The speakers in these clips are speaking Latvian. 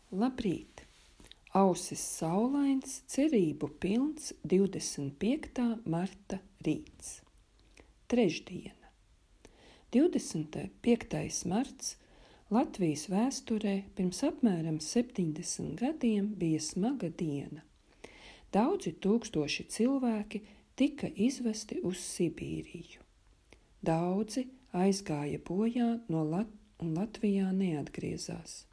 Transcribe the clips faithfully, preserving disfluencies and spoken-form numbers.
Labrīt! Ausis saulains, cerību pilns divdesmit piektā marta rīts. Trešdiena. divdesmit piektais marts Latvijas vēsturē pirms apmēram septiņdesmit gadiem bija smaga diena. Daudzi tūkstoši cilvēki tika izvesti uz Sibīriju. Daudzi aizgāja bojā no Lat- un Latvijā neatgriezās.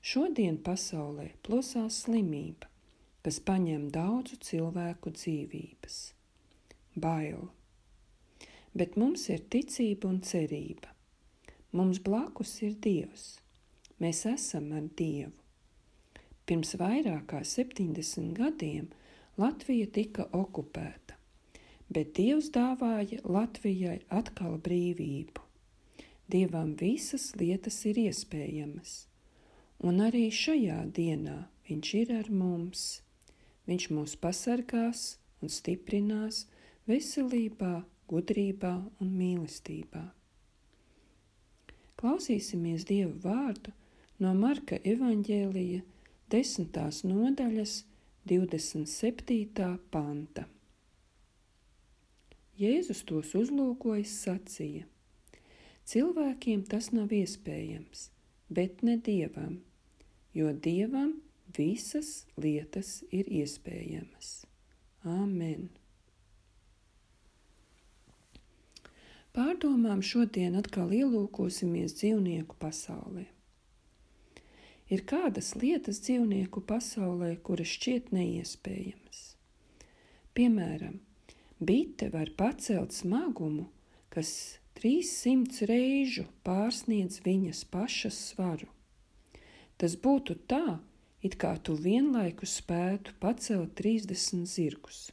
Šodien pasaulē plosās slimība, kas paņem daudzu cilvēku dzīvības. Bail. Bet mums ir ticība un cerība. Mums blakus ir Dievs. Mēs esam ar Dievu. Pirms vairāk kā septiņdesmit gadiem Latvija tika okupēta, bet Dievs dāvāja Latvijai atkal brīvību. Dievam visas lietas ir iespējamas. Un arī šajā dienā viņš ir ar mums. Viņš mūs pasargās un stiprinās veselībā, gudrībā un mīlestībā. Klausīsimies Dieva vārdu no Marka evaņģēlija desmitās nodaļas divdesmit septītā panta. Jēzus tos uzlūkojis sacīja: cilvēkiem tas nav iespējams, bet ne Dievam, jo Dievam visas lietas ir iespējamas. Āmen. Pārdomām šodien atkal ielūkosimies dzīvnieku pasaulē. Ir kādas lietas dzīvnieku pasaulē, kuras šķiet neiespējamas. Piemēram, bite var pacelt smagumu, kas trīssimts reižu pārsniedz viņas pašas svaru. Tas būtu tā, it kā tu vienlaikus spētu pacelt trīsdesmit zirgus.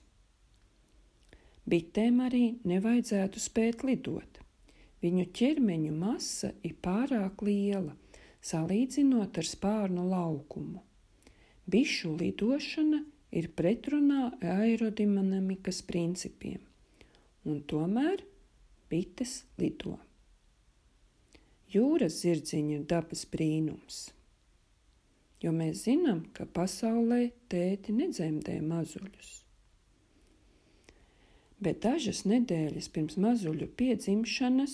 Bitēm arī nevajadzētu spēt lidot. Viņu ķermeņu masa ir pārāk liela, salīdzinot ar spārnu laukumu. Bišu lidošana ir pretrunā aerodinamikas principiem, un tomēr bites lido. Jūras zirdziņi ir dabas brīnums, jo mēs zinām, ka pasaulē tēti nedzemdē mazuļus. Bet dažas nedēļas pirms mazuļu piedzimšanas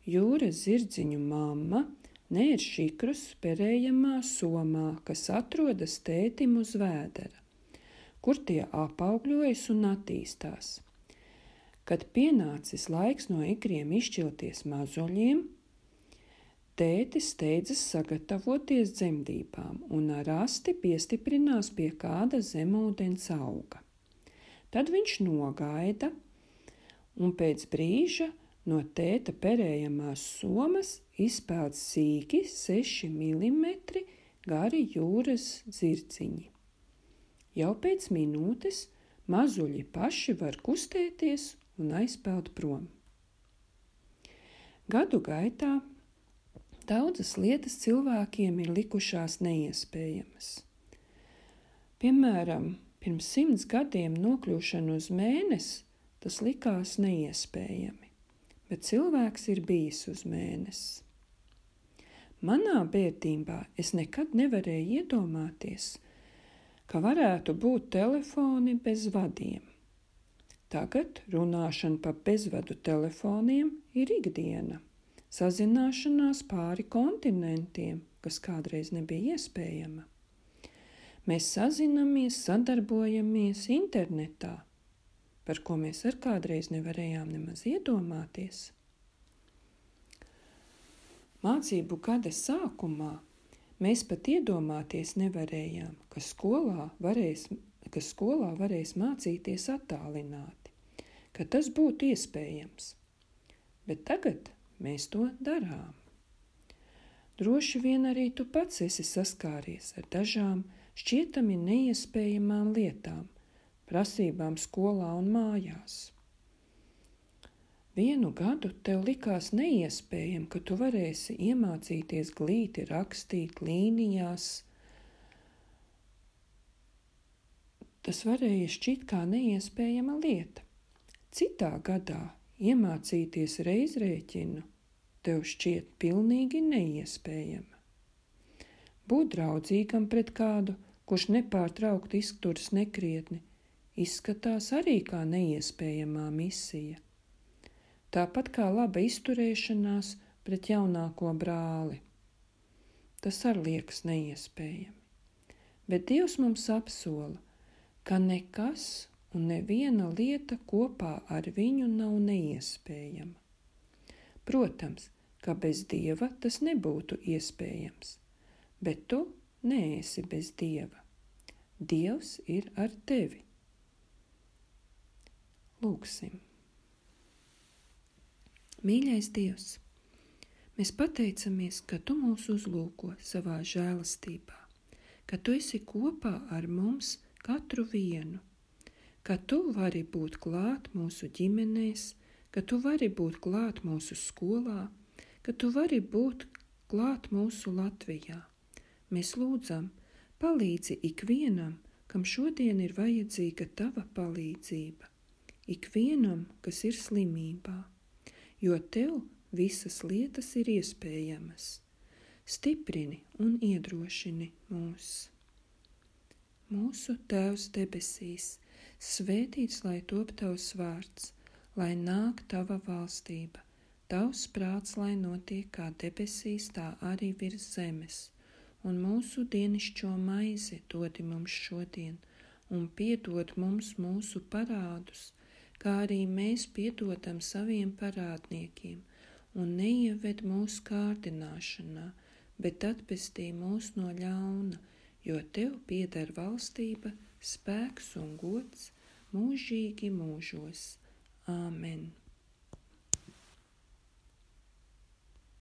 jūras zirdziņu mamma nēr šikrus perējamā somā, kas atrodas tētim uz vēdera, kur tie apaugļojas un attīstās. Kad pienācis laiks no ikriem izšķilties mazuļiem, tētis steidzas sagatavoties dzemdībām un ar asti piestiprinās pie kāda zemūdens auga. Tad viņš nogaida, un pēc brīža no tēta perējamās somas izpeld sīki seši milimetri gari jūras zirdziņi. Jau pēc minūtes mazuļi paši var kustēties un aizpeld prom. Gadu gaitā daudzas lietas cilvēkiem ir likušās neiespējamas. Piemēram, pirms simts gadiem nokļūšana uz Mēnesi, tas likās neiespējami, bet cilvēks ir bijis uz Mēnesi. Manā bērnībā es nekad nevarēju iedomāties, ka varētu būt telefoni bez vadiem. Tagad runāšana pa bezvadu telefoniem ir ikdiena, sazināšanās pāri kontinentiem, kas kādreiz nebija iespējama. Mēs sazinamies, sadarbojamies internetā, par ko mēs ar kādreiz nevarējām nemaz iedomāties. Mācību gada sākumā mēs pat iedomāties nevarējām, ka skolā varēs, ka skolā varēs mācīties attālināti, ka tas būtu iespējams. Bet tagad mēs to darām. Droši vien arī tu pats esi saskāries ar dažām šķietami neiespējamām lietām, prasībām skolā un mājās. Vienu gadu tev likās neiespējami, ka tu varēsi iemācīties glīti rakstīt līnijās. Tas varēja šķiet kā neiespējama lieta. Citā gadā iemācīties reizrēķinu tev šķiet pilnīgi neiespējama. Būt draudzīgam pret kādu, kurš nepārtraukti izturas nekrietni, izskatās arī kā neiespējamā misija. Tāpat kā laba izturēšanās pret jaunāko brāli. Tas arī liekas neiespējami. Bet Dievs mums apsola, ka nekas un neviena lieta kopā ar viņu nav neiespējama. Protams, ka bez Dieva tas nebūtu iespējams, bet tu neesi bez Dieva. Dievs ir ar tevi. Lūksim. Mīļais Dievs, mēs pateicamies, ka Tu mūs uzlūko savā žēlastībā, ka Tu esi kopā ar mums katru vienu, ka Tu vari būt klāt mūsu ģimenēs, ka Tu vari būt klāt mūsu skolā, ka Tu vari būt klāt mūsu Latvijā. Mēs lūdzam, palīdzi ikvienam, kam šodien ir vajadzīga Tava palīdzība, ikvienam, kas ir slimībā, jo Tev visas lietas ir iespējamas. Stiprini un iedrošini mūs. Mūsu Tēvs debesīs, svētīts lai top Tavs vārds, lai nāk Tava valstība, Tavs prāts, lai notiek kā debesīs, tā arī virs zemes, un mūsu dienišķo maizi dodi mums šodien, un piedod mums mūsu parādus, kā arī mēs piedodam saviem parādniekiem, un neieved mūsu kārdināšanā, bet atpestī mūs no ļauna, jo Tev pieder valstība, spēks un gods mūžīgi mūžos. Āmen.